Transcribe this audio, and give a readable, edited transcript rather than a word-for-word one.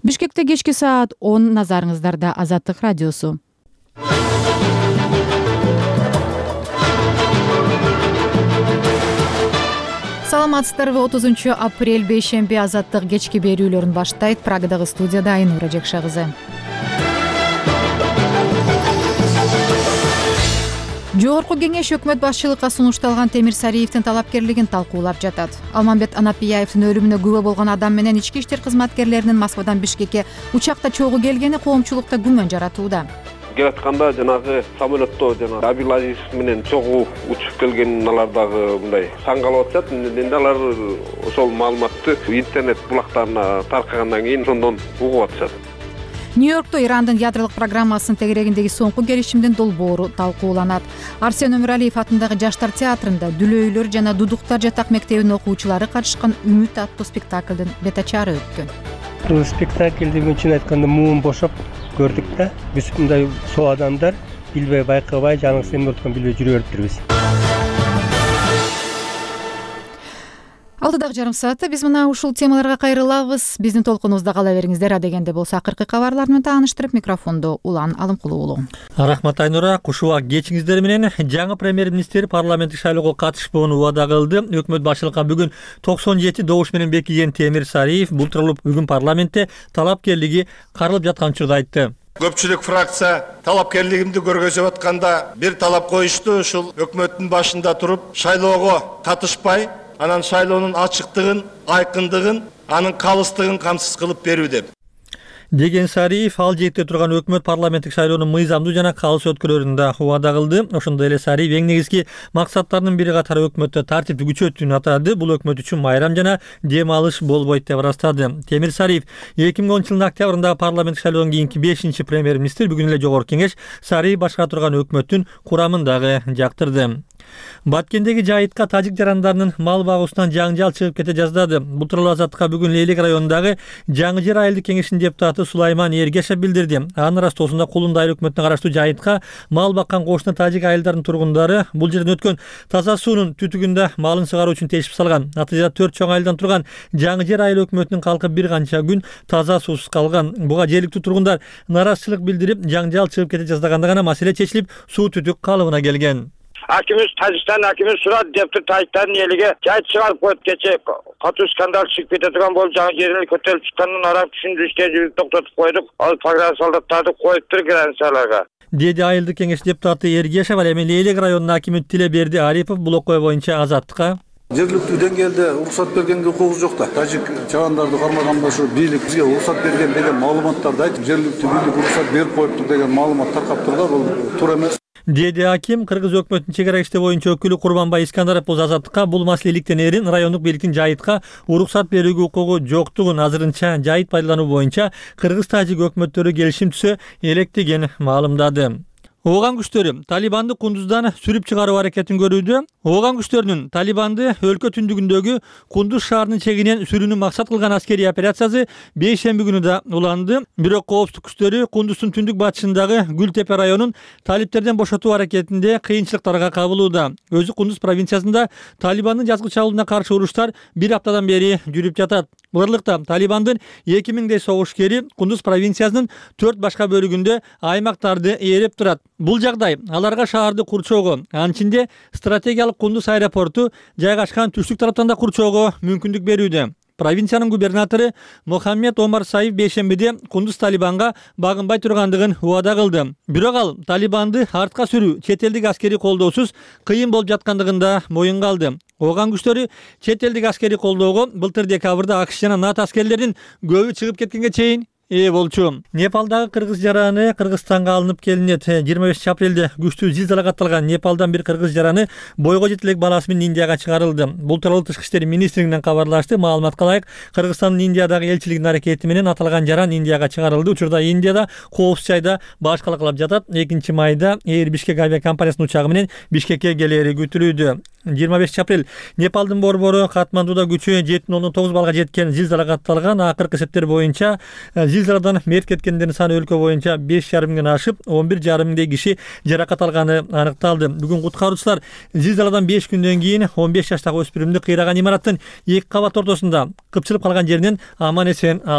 Бишкекте кечки саат 10 назарыңыздарда Азаттык радиосу. Саламатсыздарбы? 30 апрель бейшемби Азаттык кечки берүүлөрүн баштайт. Прагадагы студияда Айнура Жекша кызы. Жогорку кеңеш өкмөт башчылыкка сунушталган Темир Сариевдин талапкерлигин талкуулап жатат. Алмамбет Анапияевдин өлүмүнө күбө болгон адам менен ички иштер кызматкерлеринин Москвадан Бишкекке учакта чогуу келгени коомчулукта күмөн жаратууда. Келатканда жанагы самолетто Абилазиз менен чогуу учуп келгенин алар дагы мындай таң калып атышат. Эми алар ошол маалыматты интернет булактарына таркагандан кийин ошондон угуп атышат. Нью-Йоркто Ирандын ядролук программасынын тегерегиндеги соңку келишимдин долбоору талкууланат. Арсен Өмүралиев атындагы Жаштар театрында Дүлөйлөр жана Дудуктар жатак мектебинин окуучулары катышкан Үмүт аттуу спектаклдын бет ачаары өткөн. Бул спектакльди чын айтканда муун бошоп көрдүк да. Биз мындай соо адамдар билбей байкабай жаныбыз эмне өткөн билбей жүрө бериптирбиз. Алдыдагы жарым саатта биз мына ушул темаларга кайрылабыз. Биздин толкунубузда кала бериңиздер. Адегенде болсо акыркы кабарлар менен тааныштырып, микрофондо Улан Алымкулуу уулу. Рахмат Айнура. Кушубак кечиңиздер менен жаңы премьер-министр парламенттик шайлоого катышпоону убада кылды. Өкмөт башчылыкка бүгүн 97 добуш менен бекиген Темир Сариев бул тууралуу бүгүн парламентте талапкерлиги каралып жаткан учурда айтты. Көпчүлүк фракция талапкерлигимди көргөзүп атканда бир талап коюшту, ушул өкмөттүн башында туруп шайлоого катышпай, анан шайлоонун ачыктыгын, айкындыгын, анын калыстыгын камсыз кылып берүү деп. Деген Сариев ал жээкте турган өкмөт парламенттик шайлоонун мыйзамдуу жана калыс өткөрүлөрүн да убада кылды. Ошондой эле Сариев эң негизги максаттарынын бири катары өкмөттө тартипти күчөтүүнү атады. Бул өкмөт үчүн майрам жана дем алыш болбойт деп ырастады. Темир Сариев 2010 жылдын октябрындагы парламенттик шайлоодон кийинки 5-чи премьер-министр, бүгүн эле жогорку кеңеш Сариев башкара турган өкмөттүн курамын дагы жактырды. Баткендеги жайытка тажик жарандарынын мал багуусунан жаңжал чыгып кете жаздады. Бул тууралуу Азаттыкка бүгүн Лейлек районундагы Жаңы Жер айылдык кеңешинин депутаты Сулайман Эргешев билдирди. Анын ырастоосунда Кулунда айыл өкмөтүнө караштуу жайытка мал баккан кошуна тажик айылдарынын тургундары бул жерден өткөн таза суунун түтүгүндө малын сыгаруу үчүн тешип салган. Натыйжада 4 чоң айылдан турган Жаңы Жер айыл өкмөтүнүн калкы бир канча күн таза суусуз калган. Буга жергиликтүү тургундар нараазычылык билдирип, жаңжал чыгып кете жаздаганда гана маселе чечилип, суу түтүк калыбына келген. Акимimiz Tacikistan akimiz Surat Defter Tacikistan eliga жайыт чыгарып коюп кече катуу скандал чыгып кете турган болуп жаңы жерин көтөрүп чыкканын арак түшүндүрүштө жүрүп токтотуп койдук. Ал программа солдаттарды коюптур границаларга. Деди айылдык кеңеш депутаты Эргешев. Ал эми Лейлек районунун акими Тилеберди Арипов бул окуя боюнча Азаттыкка жергиликтүү деңгээлде уруксат бергенге укугубуз жок да. Тажик чабандарды кармаганда ушу бийлик бизге уруксат берген деген маалыматтарды айтып, жергиликтүү бийлик уруксат берип коюптур деген маалымат таркап турду. Бул туура эмес. Деди аким. Кыргыз өкмөтүнүн чегара иштери боюнча өкүлү Курманбай Искандаров болсо Азаттыкка бул маселе иликтенерин, райондук бийликтин жайытка уруксат берүүгө укугу жоктугун азырынча жайыт пайдалануу боюнча кыргыз-тажик өкмөттөрү келишим түзө электигин маалымдады. Ооган күчтөрү Талибанды Кундуздан сүрүп чыгаруу аракетин көрүүдө. Ооган күчтөрүнүн Талибанды өлкө түндүгүндөгү Кундуз шаарынын чегинен сүрүүнү максат кылган аскерий операциясы бейшемби күнү да уланды. Бирок коопсуздук күчтөрү Кундуздун түндүк батышындагы Гүлтепе районун талиптерден бошотуу аракетинде кыйынчылыктарга кабылууда. Өзү Кундуз провинциясында Талибандын жазгы чабуулуна каршы уруштар бир аптадан бери жүрүп жатат. Буларлыкта Талибандын 2000дей согушкери Кундуз провинциясынын 4 башка бөлүгүндө аймактарды ээреп турат. Бул жагдай аларга шаарды курчоого, анын ичинде стратегиялык Кундуз аэропорту жайгашкан түштүк тараптан да курчоого мүмкүндүк берүүдө. Провинциянын губернатору Мохаммед Омар Саиф бейшембиде Кундуз Талибанга багынбай тургандыгын убада кылды. Бирок ал Талибанды артка сүрүү чет элдик аскерий колдоосуз кыйын болуп жаткандыгын да моюнга алды. Ооган күчтөрү чет элдик аскерий колдоого былтыр декабрда АКШ жана НАТО аскерлеринин көбү чыгып кеткенге чейин болчу. Непалдагы кыргыз жараны Кыргызстанга алынып келинет. 25 апрелде күчтүү зилзала катталган Непалдан бир кыргыз жараны бойго жетелек баласы менен Индияга чыгарылды. Бул тууралуу Тышкы иштер министрлигинен кабарлашты. Маалыматка ылайык, Кыргызстандын Индиядагы элчилигинин аракети менен аталган жаран Индияга чыгарылды. Учурда Индияда коопсуз жайда башкалаклап жатат. 2-майда Эйр Бишкек авиакомпаниясынын учагы менен Бишкекке келери күтүлүүдө. 25 апрель Непалдын борбору Катмандуда күчү 7.9 балга жеткен зилзала катталган. Акыркы эсептер боюнча зилзаладан мерт кеткендердин саны өлкө боюнча 5,5 миңден ашып, 11,5 миңдей киши жаракат алганы аныкталды. Бүгүн куткаруучулар зилзаладан 5 күндөн кийин 15 жаштагы өспүрүмдү кыйраган имараттын 2 кабат ортосунда кыпчылып калган жеринен аман эсен алып